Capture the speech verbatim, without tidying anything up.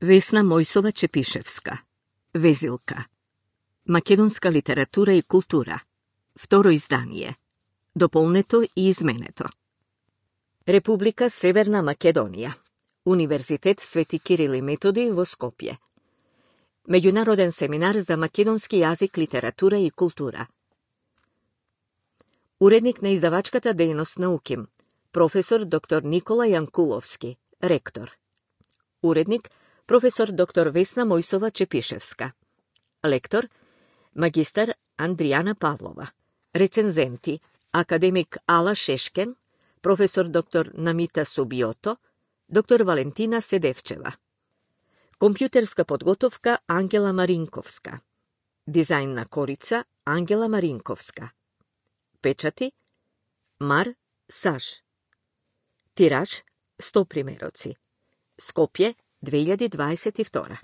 Весна Мојсова-Чепишевска. Везилка. Македонска литература и култура. Второ издание. Дополнето и изменето. Република Северна Македонија. Универзитет Свети Кирил и Методи во Скопје. Меѓународен семинар за македонски јазик, литература и култура. Уредник на издавачката дејност на УКИМ, професор доктор Никола Јанкуловски, ректор. Уредник професор доктор Весна Мојсова-Чепишевска. Лектор магистар Андријана Павлова. Рецензенти академик Ала Шешкен, професор доктор Намита Субиото, доктор Валентина Седевчева. Компјутерска подготовка Ангела Маринковска. Дизајн на корица Ангела Маринковска. Печати Мар Саш. Тираж сто примероци. Скопје две илјади дваесет и втора.